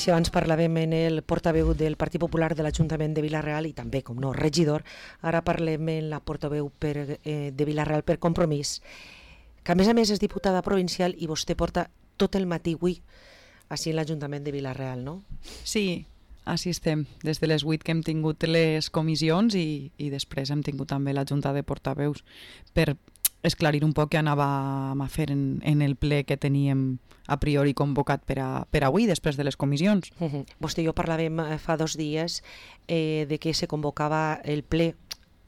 si abans parlàvem en el portaveu del Partit Popular de l'Ajuntament de Vila-real i també, com no, regidor, ara parlem en la portaveu de Vila-real per Compromís, que a més és diputada provincial i vostè porta tot el matí avui així en l'Ajuntament de Vila-real, no? Sí, així estem, des de les 8 que hem tingut les comissions i després hem tingut també la Junta de Portaveus per esclarir un poc què anàvem a fer en el ple que teníem a priori convocat per avui, després de les comissions. Vostè i jo parlàvem fa 2 dies de que se convocava el ple.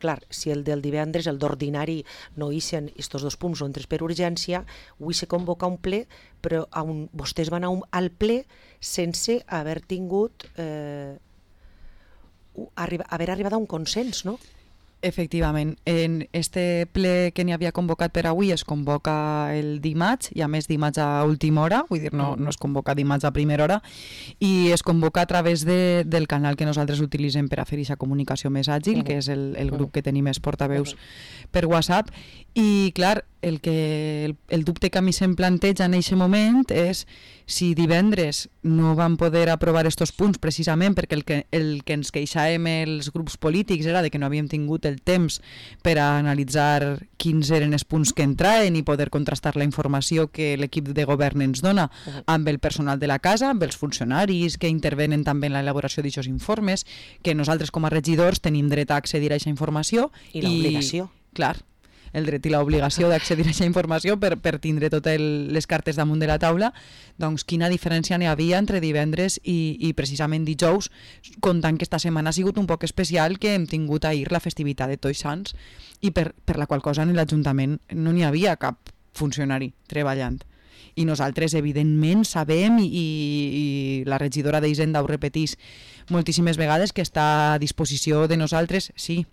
Clar, si el del divendres, el d'ordinari, no ixen estos 2 punts o entres per urgència, avui se convoca un ple, però vostès van al ple sense haver tingut, haver arribat a un consens, no? Efectivament, en este ple que n'hi havia convocat per avui es convoca el dimarts, i a més dimarts a última hora, vull dir, no es convoca dimarts a primera hora, i es convoca a través del canal que nosaltres utilitzem per a fer aquesta comunicació més àgil, que és el grup que tenim els portaveus per WhatsApp, i clar, el dubte que a mi se'm planteja en aquest moment és si divendres no vam poder aprovar estos punts precisament perquè el que ens queixàvem els grups polítics era de que no havíem tingut el temps per a analitzar quins eren els punts que entraven i poder contrastar la informació que l'equip de govern ens dona amb el personal de la casa, amb els funcionaris que intervenen també en l'elaboració d'aquests informes, que nosaltres com a regidors tenim dret a accedir a aquesta informació. I l'obligació. Clar, el dret i l'obligació d'accedir a aquesta informació per tindre totes les cartes damunt de la taula, doncs quina diferència n'hi havia entre divendres i precisament dijous, comptant que esta setmana ha sigut un poc especial, que hem tingut ahir la festivitat de Tots Sants i per la qual cosa en l'Ajuntament no n'hi havia cap funcionari treballant. I nosaltres, evidentment, sabem, i la regidora d'Hisenda ho repetís moltíssimes vegades, que està a disposició de nosaltres, sí.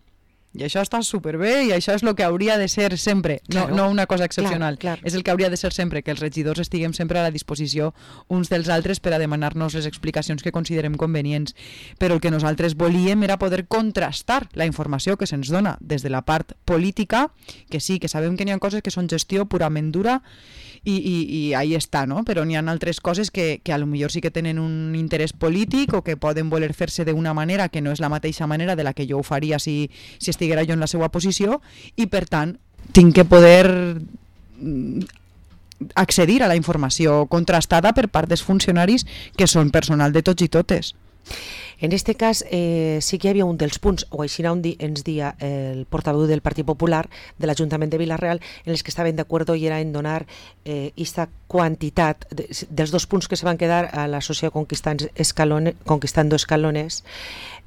I això està superbé i això és el que hauria de ser sempre, no una cosa excepcional. Clar. És el que hauria de ser sempre, que els regidors estiguem sempre a la disposició uns dels altres per a demanar-nos les explicacions que considerem convenients. Però el que nosaltres volíem era poder contrastar la informació que se'ns dona des de la part política, que sí, que sabem que n'hi ha coses que són gestió purament dura i ahí està, no? Però n'hi ha altres coses que a lo millor sí que tenen un interès polític o que poden voler fer-se d'una manera que no és la mateixa manera de la que jo ho faria si estiguera jo en la seva posició, i per tant tinc que poder accedir a la informació contrastada per part dels funcionaris que són personal de tots i totes. En aquest cas sí que hi havia un dels punts, o així ens dia el portaveu del Partit Popular de l'Ajuntament de Vila-real, en els que estaven d'acord i era en donar aquesta quantitat dels 2 punts que se van quedar a l'associació Conquistando Escalones.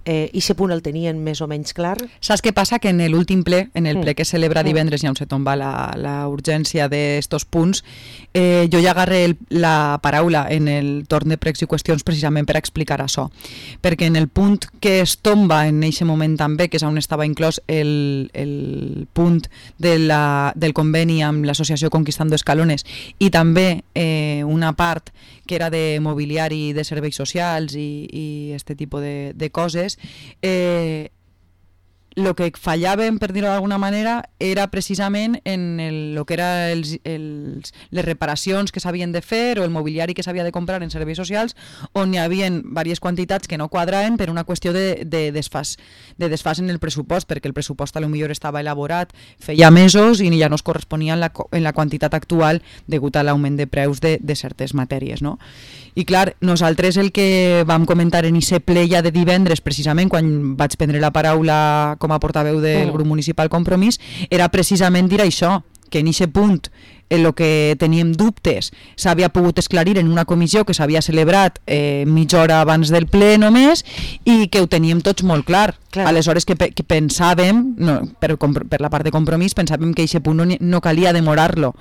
I aquest punt el tenien més o menys clar? Saps què passa? Que en l'últim ple, en el ple que celebra divendres i on se tomba la urgència d'estos punts, jo ja agarré la paraula en el torn de pregs i qüestions precisament per explicar això. Perquè en el punt que es tomba en aquest moment també, que és on estava inclòs el punt del conveni amb l'associació Conquistando Escalones, i també una part que era de mobiliari de serveis socials i este tipus de coses, el que fallàvem, per dir-ho d'alguna manera, era precisament en el que eren les reparacions que s'havien de fer o el mobiliari que s'havia de comprar en serveis socials, on hi havia diverses quantitats que no quadraven per una qüestió de desfàs en el pressupost, perquè el pressupost potser estava elaborat feia mesos i ja no es corresponia en la quantitat actual degut a l'augment de preus de certes matèries, no? I clar, nosaltres el que vam comentar en aquest ple ja de divendres, precisament quan vaig prendre la paraula com a portaveu del grup municipal Compromís, era precisament dir això, que en aquest punt el que teníem dubtes s'havia pogut esclarir en una comissió que s'havia celebrat mitja hora abans del ple només, i que ho teníem tots molt clar. Aleshores que pensàvem, per la part de Compromís, pensàvem que aquest punt no calia demorar-lo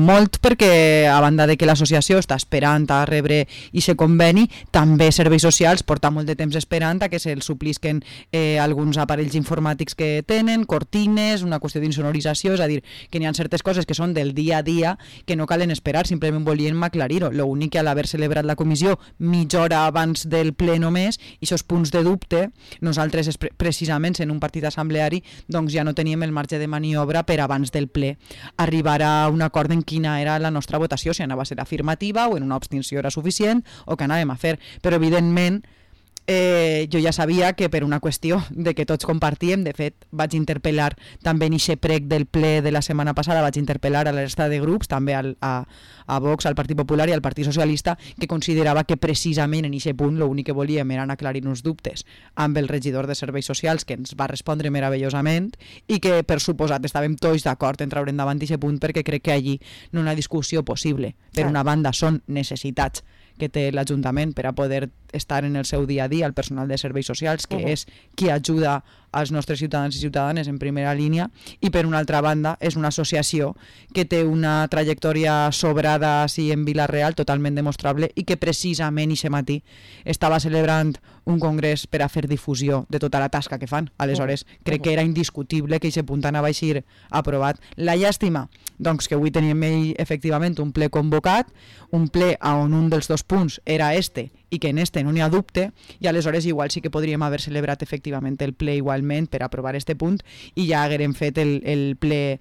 molt, perquè a banda de que l'associació està esperant a rebre aquest conveni, també Serveis Socials porta molt de temps esperant a que se'ls suplisquen alguns aparells informàtics que tenen, cortines, una qüestió d'insonorització, és a dir, que n'hi ha certes coses que són del dia a dia que no calen esperar, simplement volíem aclarir-ho. L'únic que a l'haver celebrat la comissió mitja hora abans del ple només, i aquests punts de dubte, nosaltres nosaltres, precisament en un partit assembleari, doncs ja no teníem el marge de maniobra per abans del ple arribar a un acord en quina era la nostra votació, si anava a ser afirmativa o en una abstenció era suficient o què anàvem a fer. Però evidentment jo ja sabia que per una qüestió de que tots compartíem, de fet vaig interpel·lar també en aquest prec del ple de la setmana passada, vaig interpel·lar a la resta de grups, també a Vox, al Partit Popular i al Partit Socialista, que considerava que precisament en aquest punt l'únic que volíem era aclarir uns dubtes amb el regidor de Serveis Socials, que ens va respondre meravellosament i que per suposat estàvem tots d'acord en treure endavant aquest punt, perquè crec que allí no hi ha una discussió possible. Per una banda són necessitats que té l'Ajuntament per a poder estar en el seu dia a dia, el personal de serveis socials, que és qui ajuda als nostres ciutadans i ciutadanes en primera línia, i per una altra banda és una associació que té una trajectòria sobrada així en Vila-real, totalment demostrable, i que precisament aquest matí estava celebrant un congrés per a fer difusió de tota la tasca que fan. Aleshores, crec que era indiscutible que aquest punt anava a ser aprovat. La llàstima, doncs, que avui teníem efectivament un ple convocat, un ple on un dels dos punts era este, i que en este no n'hi ha dubte, i aleshores igual sí que podríem haver celebrat efectivament el ple igualment per aprovar este punt, i ja haguérem fet el ple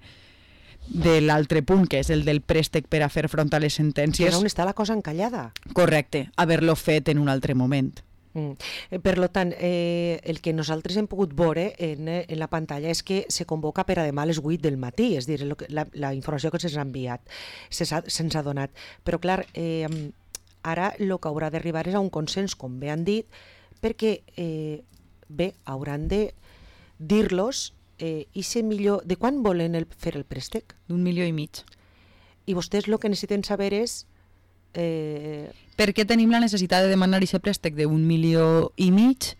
de l'altre punt, que és el del préstec per a fer front a les sentències. Que és on està la cosa encallada. Correcte, haver-lo fet en un altre moment. Per tant, el que nosaltres hem pogut veure en la pantalla és que se convoca per a demà a les 8 del matí, és a dir, la informació que se'ns ha enviat, se'ns ha donat. Però clar, ara el que haurà d'arribar és a un consens, com bé han dit, perquè bé, hauran de dir-los i ser millor. De quan volen fer el préstec? D'1,5 milions. I vostès el que necessiten saber és per què tenim la necessitat de demanar aquest préstec de 1,5 milions,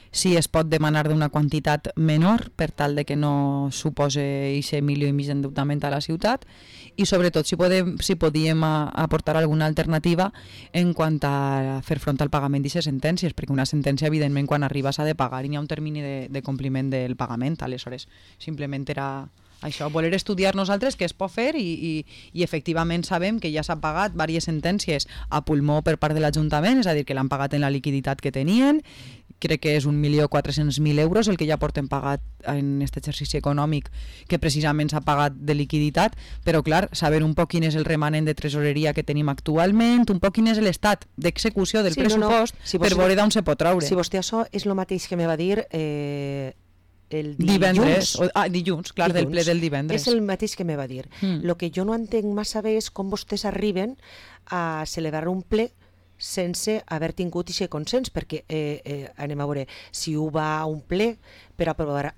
si es pot demanar d'una quantitat menor per tal de que no suposi aquest 1,5 milions d'endeutament a la ciutat, i sobretot si podíem aportar alguna alternativa en quant a fer front al pagament d'aquestes sentències, perquè una sentència evidentment quan arriba s'ha de pagar i hi ha un termini de compliment del pagament. Aleshores simplement era això, voler estudiar nosaltres què es pot fer, i efectivament sabem que ja s'ha pagat diverses sentències a pulmó per part de l'Ajuntament, és a dir, que l'han pagat en la liquiditat que tenien. Crec que és 1.400.000 euros el que ja porten pagat en aquest exercici econòmic, que precisament s'ha pagat de liquiditat, però clar, saber un poc quin és el remanent de tresoreria que tenim actualment, un poc quin és l'estat d'execució del pressupost, per veure d'on se pot treure. Si vostè això és el mateix que me va dir el dilluns. Dilluns, clar, del ple del divendres. És el mateix que me va dir. El que jo no entenc massa bé és com vostès arriben a celebrar un ple sense haver tingut aquest consens, perquè anem a veure, si ho va a un ple per aprovar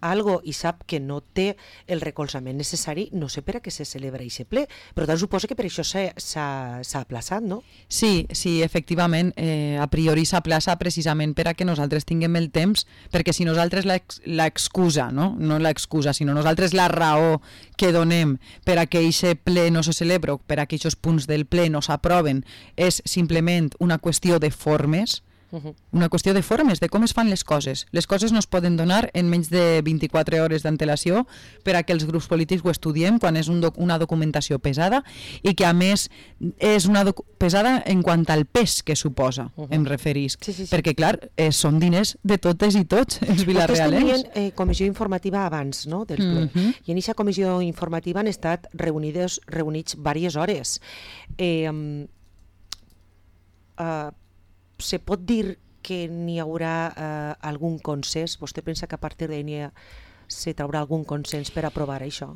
algo i sap que no té el recolzament necessari, no sé per a què se celebra aquest ple, però tant suposa que per això s'ha aplaçat, no? Sí, efectivament, a priori s'aplaça precisament per a que nosaltres tinguem el temps, perquè si nosaltres l'excusa, no l'excusa, sinó nosaltres la raó que donem per a que aquest ple no se celebra, per a que aquests punts del ple no s'aproven, és simplement una qüestió de formes, una qüestió de formes, de com es fan les coses. Les coses no es poden donar en menys de 24 hores d'antelació per a que els grups polítics ho estudiem quan és una documentació pesada, i que a més és una pesada en quant al pes que suposa, em referisc. Sí. Perquè clar, són diners de totes i tots els vilarealens. Vostès tenien comissió informativa abans, no?, del ple, i en aquesta comissió informativa han estat reunits diverses hores. Se pot dir que n'hi haurà algun consens? Vostè pensa que a partir d'ahir se traurà algun consens per aprovar això?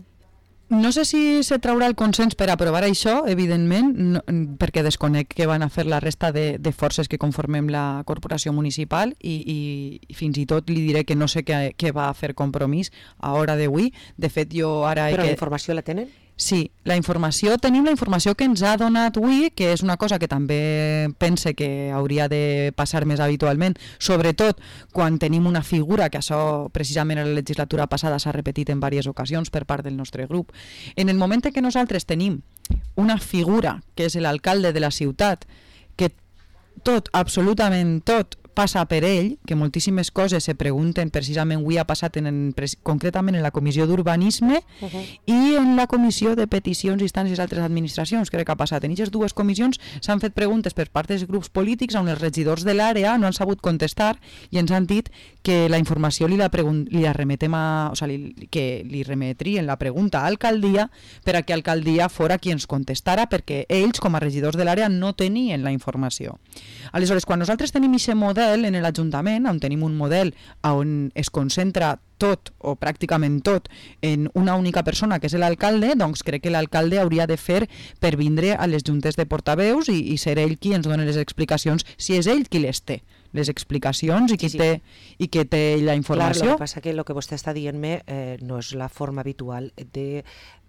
No sé si se traurà el consens per aprovar això, evidentment, perquè desconec què van a fer la resta de forces que conformem la corporació municipal, i fins i tot li diré que no sé què va fer Compromís a hora d'avui. De fet, jo ara... Però la informació la tenen? Sí, tenim la informació que ens ha donat avui, que és una cosa que també pense que hauria de passar més habitualment, sobretot quan tenim una figura, que això precisament a la legislatura passada s'ha repetit en diverses ocasions per part del nostre grup. En el moment en què nosaltres tenim una figura, que és l'alcalde de la ciutat, que tot, absolutament tot, passa per ell, que moltíssimes coses se pregunten, precisament avui ha passat concretament en la Comissió d'Urbanisme i en la Comissió de Peticions, Instàncies i altres administracions, crec que ha passat. En aquestes dues comissions s'han fet preguntes per part dels grups polítics on els regidors de l'àrea no han sabut contestar i ens han dit que la informació li remetrien la pregunta a l'alcaldia per a que l'alcaldia fora qui ens contestara, perquè ells, com a regidors de l'àrea, no tenien la informació. Aleshores, quan nosaltres tenim aquest model en l'Ajuntament, on tenim un model on es concentra tot o pràcticament tot en una única persona que és l'alcalde, doncs crec que l'alcalde hauria de fer per vindre a les juntes de portaveus i ser ell qui ens dona les explicacions, si és ell qui les té, les explicacions i qui té la informació. Clar, el que passa que el que vostè està dient-me no és la forma habitual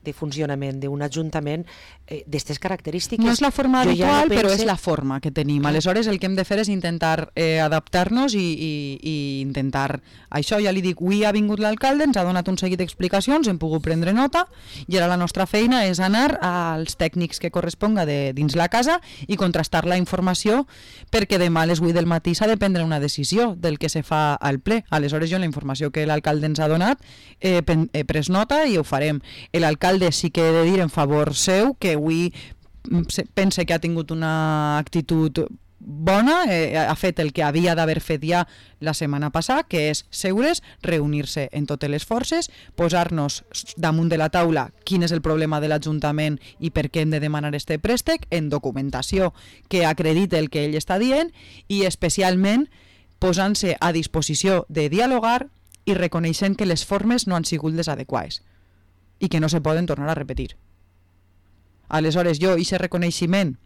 de funcionament d'un ajuntament d'aquestes característiques. No és la forma habitual, però és la forma que tenim. Aleshores, el que hem de fer és intentar adaptar-nos i intentar... Això ja li dic, avui ha vingut l'alcalde, ens ha donat un seguit d'explicacions, hem pogut prendre nota, i ara la nostra feina és anar als tècnics que corresponga dins la casa i contrastar la informació, perquè demà a les 8 del matí s'ha de prendre una decisió del que se fa al ple. Aleshores, jo la informació que l'alcalde ens ha donat he pres nota i ho farem. L'alcalde sí que he de dir en favor seu que avui pense que ha tingut una actitud bona, ha fet el que havia d'haver fet ja la setmana passada, que és seure's, reunir-se en totes les forces, posar-nos damunt de la taula quin és el problema de l'Ajuntament i per què hem de demanar este préstec, en documentació que acredite el que ell està dient i especialment posant-se a disposició de dialogar i reconeixent que les formes no han sigut les adequades i que no se poden tornar a repetir. Aleshores, jo aquest reconeixement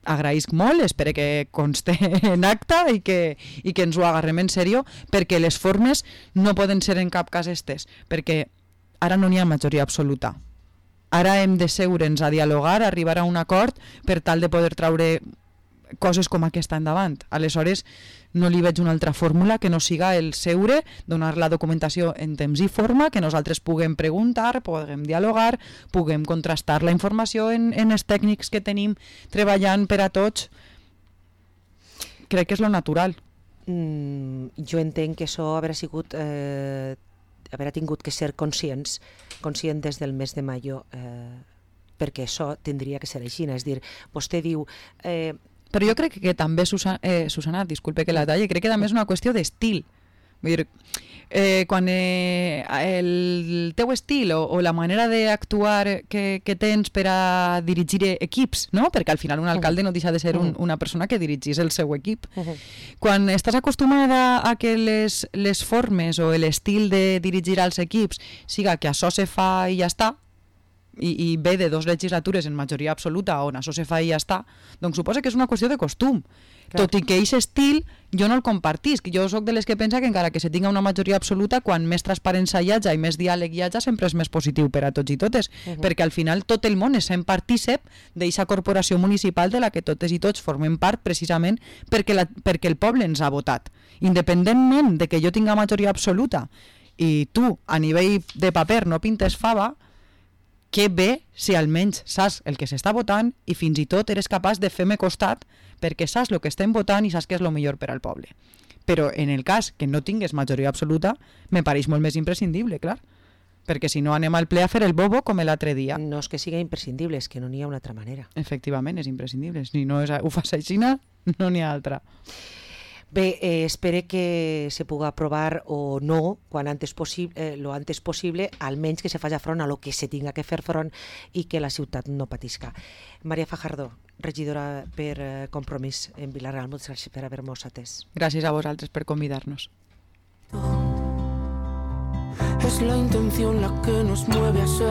agraïsc molt, espero que conste en acta i que ens ho agarrem en sèrio, perquè les formes no poden ser en cap cas estes, perquè ara no n'hi ha majoria absoluta. Ara hem de seure'ns a dialogar, a arribar a un acord per tal de poder traure coses com aquesta endavant. Aleshores, no li veig una altra fórmula que no siga el seure, donar la documentació en temps i forma, que nosaltres puguem preguntar, puguem dialogar, puguem contrastar la informació en els tècnics que tenim treballant per a tots. Crec que és lo natural. Jo entenc que això haurà sigut... haurà tingut que ser conscient des del mes de maio, perquè això tindria que ser així. És dir, vostè diu... Però jo crec que també, Susana, disculpe que la talli, crec que també és una qüestió d'estil. Vull dir, quan el teu estil o la manera d'actuar que tens per a dirigir equips, no? Perquè al final un alcalde no deixa de ser una persona que dirigís el seu equip. Quan estàs acostumada a que les formes o l'estil de dirigir els equips siga que això se fa i ja està, i ve de 2 legislatures en majoria absoluta on això se fa i ja està, doncs suposa que és una qüestió de costum. Clar. Tot i que aquest estil jo no el compartisc. Jo soc de les que pensa que encara que se tinga una majoria absoluta, quan més transparència hi hagi i més diàleg hi hagi, sempre és més positiu per a tots i totes, perquè al final tot el món és sent partícip d'aquesta corporació municipal de la que totes i tots formem part precisament perquè el poble ens ha votat. Independentment de que jo tinga majoria absoluta i tu a nivell de paper no pintes fava, que bé si almenys saps el que s'està votant i fins i tot eres capaç de fer-me costat perquè saps el que estem votant i saps que és el millor per al poble. Però en el cas que no tingues majoria absoluta, me pareix molt més imprescindible, clar. Perquè si no anem al ple a fer el bobo com l'altre dia. No és que sigui imprescindible, és que no n'hi ha una altra manera. Efectivament, és imprescindible. Si no ho fas així, no n'hi ha altra. Bé, espero que se pugui aprovar o no lo antes possible, almenys que se faci front a lo que se tinga que fer front i que la ciutat no patisca. Maria Fajardo, regidora per Compromís en Vila-real, moltes gràcies per haver-nos atès. Gràcies a vosaltres per convidar-nos. Es la intención la que nos mueve a ser